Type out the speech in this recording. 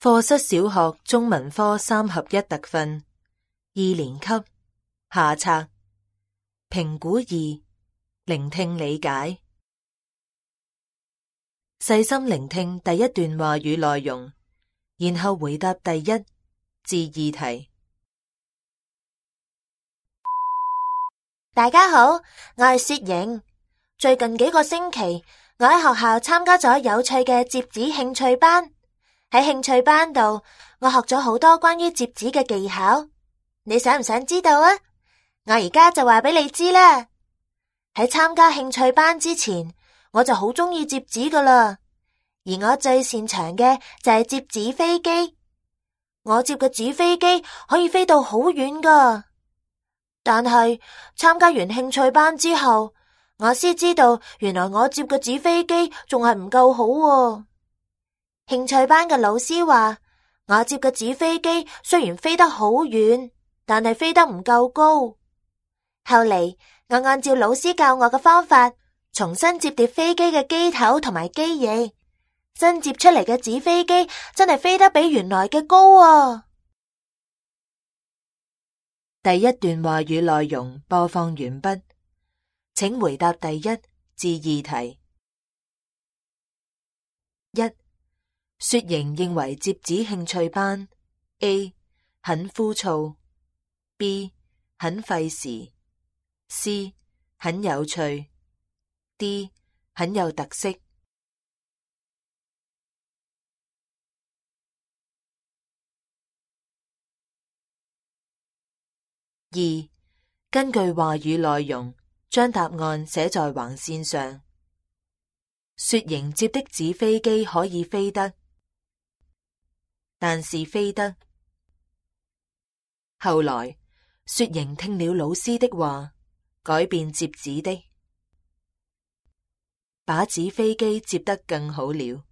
課室小學中文科3合1特訓2年級下冊評估2聆聽理解。細心聆聽第一段話語內容，然後回答第1至2題。大家好，我係雪瑩。最近幾個星期，我喺學校參加咗有趣嘅摺紙興趣班。喺興趣班度，我學咗好多關於摺紙嘅技巧。你想唔想知道啊？我而家就話俾你知啦。喺參加興趣班之前，我就好鍾意摺紙噶啦。而我最擅長嘅就係摺紙飛機。我摺嘅紙飛機可以飛到好遠噶。但係參加完興趣班之後，我先知道原來我摺嘅紙飛機仲係唔夠好喎。興趣班嘅老師話，我摺嘅紙飛機雖然飛得好遠，但係飛得唔夠高。後嚟我按照老師教我嘅方法，重新摺疊飛機嘅機頭同埋機翼，新摺出嚟嘅紙飛機真係飛得比原來嘅高啊！第一段話語內容播放完畢，請回答第1至2題。1. 雪瑩認為摺紙興趣班 A 很枯燥， B 很費時， C 很有趣， D 很有特色。2. 根據話語內容，將答案寫在橫線上。雪瑩摺的紙飛機可以飛得，但是飛得。後來，雪瑩聽了老師的話，改變摺紙的，把紙飛機摺得更好了。